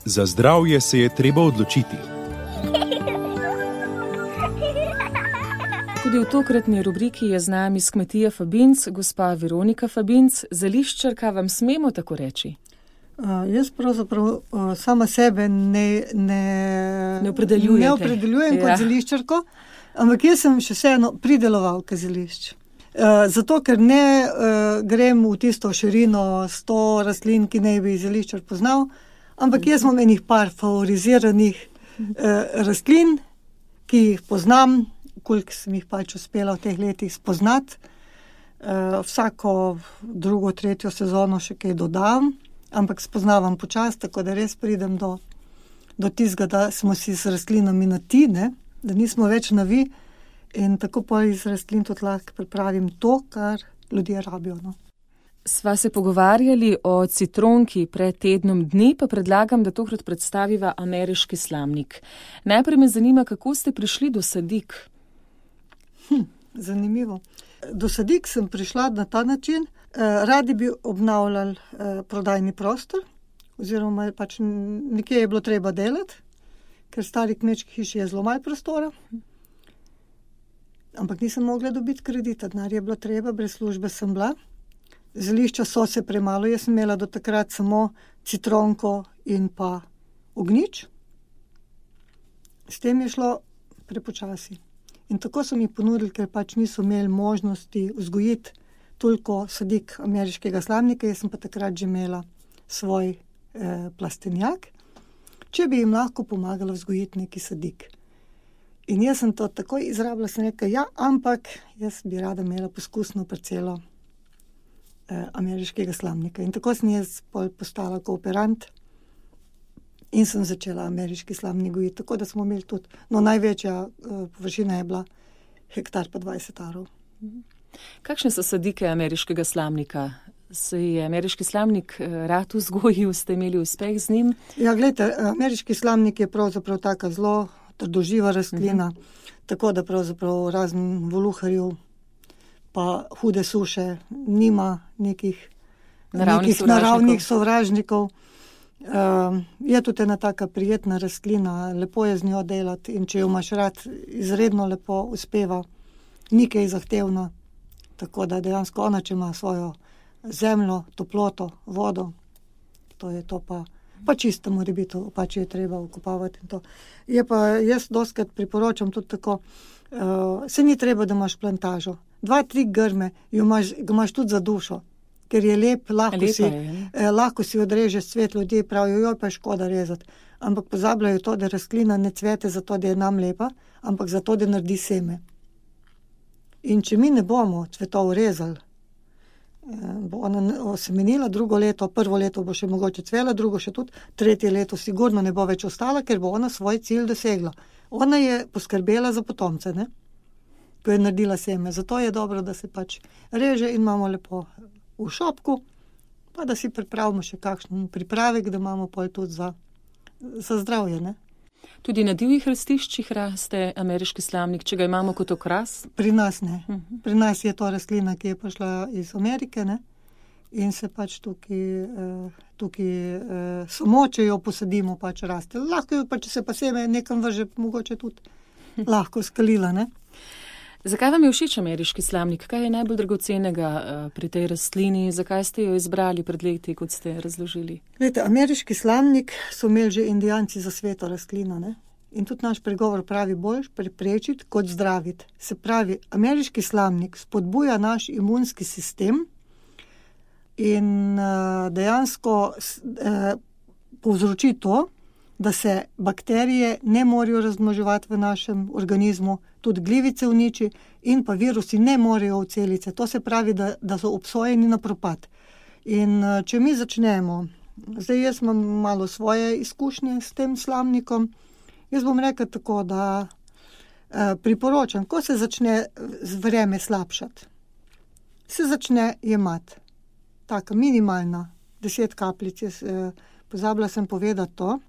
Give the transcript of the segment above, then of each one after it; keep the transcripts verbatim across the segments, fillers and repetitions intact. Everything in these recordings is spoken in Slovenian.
Za zdravje se je treba odločiti. Tudi v tokratni rubriki je z nami s kmetije Fabinc gospa Veronika Fabinc. Zeliščarka, vam smemo tako reči? Uh, jaz pravzaprav uh, sama sebe ne, ne, ne opredeljujem ja. kot zeliščarko, ampak jaz sem še vseeno pridelovalka zelišč. Uh, zato, ker ne uh, grem v tisto širino sto rastlin, ki ne bi zeliščar poznal, ampak jaz imam enih par favoriziranih uh, rastlin, ki jih poznam, koliko sem jih pač uspela v teh letih spoznati. Uh, vsako drugo, tretjo sezono še kaj dodam, ampak spoznavam počas, tako da res pridem do, do tizga, da smo si s rastlinami na ti, ne? Da nismo več na vi. In tako pa iz rastlin tudi lahko pripravim to, kar ljudje rabijo. No. Sva se pogovarjali o citronki pred tednom dni, pa predlagam, da tokrat predstaviva ameriški slamnik. Najprej me zanima, kako ste prišli do sadik? Hm, zanimivo. Do sadik sem prišla na ta način. Eh, radi bi obnavljali eh, prodajni prostor, oziroma pač nekje je bilo treba delati, ker stari kmečki hiši je zelo malo prostora. Ampak nisem mogla dobiti kredita, denar je bilo treba, brez službe sem bila. Zelišča so se premalo, jaz sem imela do takrat samo citronko in pa ognjič. S tem je šlo prepočasi. In tako so mi ponudili, ker pač niso imeli možnosti vzgojiti toliko sadik ameriškega slamnika, jaz sem pa takrat že imela svoj eh, plastenjak, če bi jim lahko pomagala vzgojiti neki sadik. In jaz sem to takoj izrabila, sem rekla, ja, ampak jaz bi rada imela poskusno parcelo eh, ameriškega slamnika. In tako sem jaz postala kooperant in sem začela ameriški slamnik gojiti. Tako da smo imeli tudi, no največja eh, površina je bila hektar pa dvajset arov. Kakšne so sadike ameriškega slamnika? Se je ameriški slamnik rad vzgojil, ste imeli uspeh z njim? Ja, gledajte, ameriški slamnik je pravzaprav taka zelo trdoživa rastlina, uh-huh. tako da pravzaprav razen voluharjev pa hude suše nima nekih naravnih nekih sovražnikov. naravnih sovražnikov. Uh, je tudi ena taka prijetna rastlina, lepo je z njo delati in če jo imaš rad, izredno lepo uspeva, ni kaj zahtevna, tako da dejansko ona, če ima svojo zemljo, toploto, vodo, to je to pa pa čisto mora biti, pa če je treba okopavati in to. Je pa, jaz dostikrat priporočam tudi tako, uh, se ni treba, da imaš plantažo. Dva, tri grme, jo imaš, ga imaš tudi za dušo, ker je lep, lahko, si, je, eh, lahko si odrežeš cvet, ljudje pravijo, joj, pa je škoda rezati. Ampak pozabljajo to, da rastlina ne cvete zato, da je nam lepa, ampak zato, da naredi seme. In če mi ne bomo cvetov rezali, bo ona osemenila, drugo leto, prvo leto bo še mogoče cvela, drugo še tudi, tretje leto sigurno ne bo več ostala, ker bo ona svoj cilj dosegla. Ona je poskrbela za potomce, ne? Ko je naredila seme. Zato je dobro, da se pač reže in imamo lepo v šopku, pa da si pripravimo še kakšen pripravek, da imamo pol tudi za, za zdravje, ne? Tudi na divjih rastiščih raste ameriški slamnik, če ga imamo kot okras? Pri nas ne. Pri nas je to rastlina, ki je prišla iz Amerike, ne? In se pač tukaj, tukaj samo, če jo posadimo, pač raste. Lahko jo pa, če se pa seme nekam vrže, mogoče tudi lahko skalila, ne? Zakaj vam je všeč ameriški slamnik? Kaj je najbolj dragocenega pri tej rastlini? Zakaj ste jo izbrali pred leti, kot ste razložili? Glede, ameriški slamnik so imeli že indijanci za sveto rastlino, ne? In tudi naš pregovor pravi bolj preprečiti kot zdraviti. Se pravi, ameriški slamnik spodbuja naš imunski sistem in uh, dejansko uh, povzroči to, da se bakterije ne morejo razmnoževati v našem organizmu, tudi glivice uniči in pa virusi ne morejo v celice. To se pravi, da, da so obsojeni na propad. In če mi začnemo, zdaj jaz imam malo svoje izkušnje s tem slamnikom, jaz bom rekel tako, da eh, priporočam, ko se začne vreme slabšati, se začne jemati. Taka minimalna, deset kapljic. Jaz, eh, pozabila sem povedati to,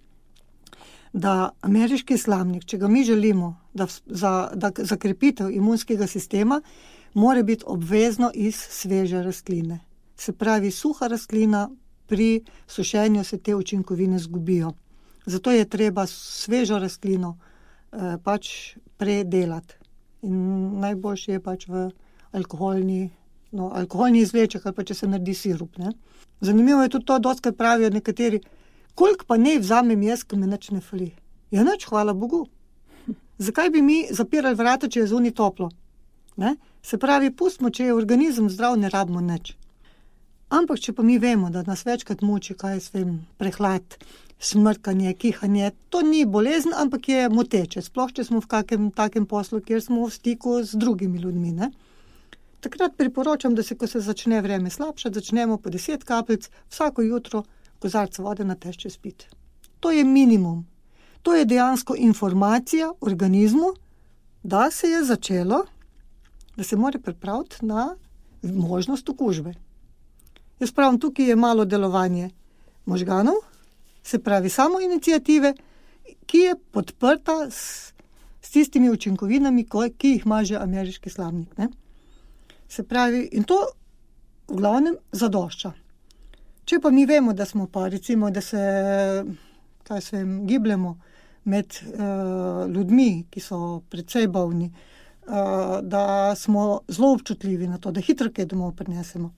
da ameriški slamnik, če ga mi želimo, da za, da za krepitev imunskega sistema, mora biti obvezno iz sveže rastline. Se pravi, suha rastlina, pri sušenju se te učinkovine zgubijo. Zato je treba svežo rastlino eh, pač predelati. In najboljše je pač v alkoholni, no, alkoholni izvleček, ali pa če se naredi sirup. Ne? Zanimivo je tudi to, dostakrat pravijo nekateri, koliko pa ne vzamem jaz, ko me nič ne fali. Ja, nič, hvala Bogu. Zakaj bi mi zapirali vrata, če je zunaj toplo? Ne? Se pravi, pustimo, če je organizem zdrav, ne rabimo nič. Ampak, če pa mi vemo, da nas večkrat muči, kaj jaz vem, prehlad, smrkanje, kihanje, to ni bolezen, ampak je moteče. Sploh, če smo v kakem takem poslu, kjer smo v stiku z drugimi ljudmi. Ne? Takrat priporočam, da se, ko se začne vreme slabšati, začnemo po deset kapljic vsako jutro kozarca vode na tešče spiti. To je minimum. To je dejansko informacija organizmu, da se je začelo, da se mora pripraviti na možnost okužbe. Jaz pravim, tukaj je malo delovanje možganov, se pravi samo iniciative, ki je podprta s, s tistimi učinkovinami, ki jih ima že ameriški slamnik. Ne? Se pravi, in to v glavnem zadošča. Če pa mi vemo, da smo pa recimo, da se, kaj se vem, gibljemo med uh, ljudmi, ki so precej bolni, uh, da smo zelo občutljivi na to, da hitro kaj domov prinesemo.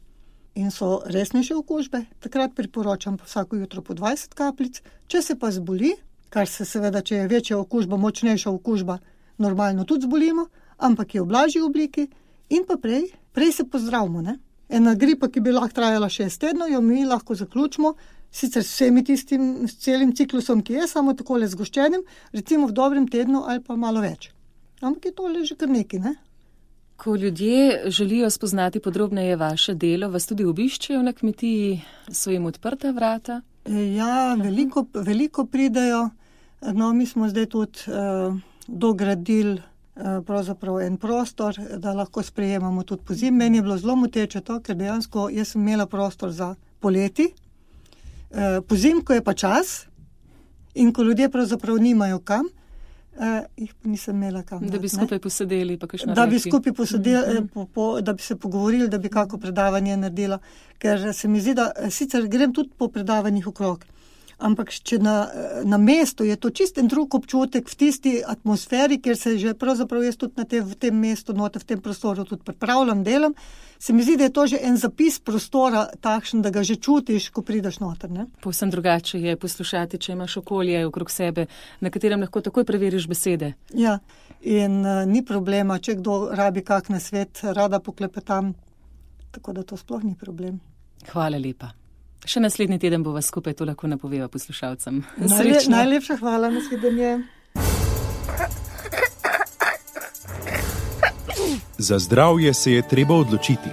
In so resnejše okužbe, takrat priporočam pa vsako jutro po dvajset kapljic. Če se pa zboli, kar se seveda, če je večja okužba, močnejša okužba, normalno tudi zbolimo, ampak je v blažji obliki in pa prej, prej se pozdravimo. Ne? Ena gripa, ki bi lahko trajala šest tednov, jo mi lahko zaključimo, sicer s vsemi tistim, s celim ciklusom, ki je samo takole zgoščenim, recimo v dobrem tednu ali pa malo več. Ampak je tole že kar nekaj, ne? Ko ljudje želijo spoznati podrobneje vaše delo, vas tudi obiščejo na kmetiji, so jim odprta vrata? Ja, veliko, veliko pridejo. No, mi smo zdaj tudi uh, dogradili uh, pravzaprav en prostor, da lahko sprejemamo tudi pozimi. Meni je bilo zelo moteče to, ker dejansko jaz sem imela prostor za poleti. Uh, pozimi, ko je pa čas in ko ljudje pravzaprav nimajo kam, Uh, jih pa nisem imela kam. Da bi skupaj posedeli, pa kakšno Da reči. bi skupaj posedeli, mm-hmm. po, po, da bi se pogovorili, da bi kako predavanje naredila. Ker se mi zdi, da sicer grem tudi po predavanjih okrog, ampak če na, na mestu je to čisten drug občutek v tisti atmosferi, kjer se že pravzaprav jaz tudi na te, v tem mestu, note v tem prostoru tudi pripravljam, delam, se mi zdi, da je to že en zapis prostora takšen, da ga že čutiš, ko prideš noter. Ne? Povsem drugače je poslušati, če imaš okolje okrog sebe, na katerem lahko takoj preveriš besede. Ja, in uh, ni problema, če kdo rabi kak nasvet, rada poklepetam, tako da to sploh ni problem. Hvala lepa. Še naslednji teden bova skupaj to lahko napoveva poslušalcem. Najle, najlepša hvala, nasvidenje. Za zdravje se je treba odločiti.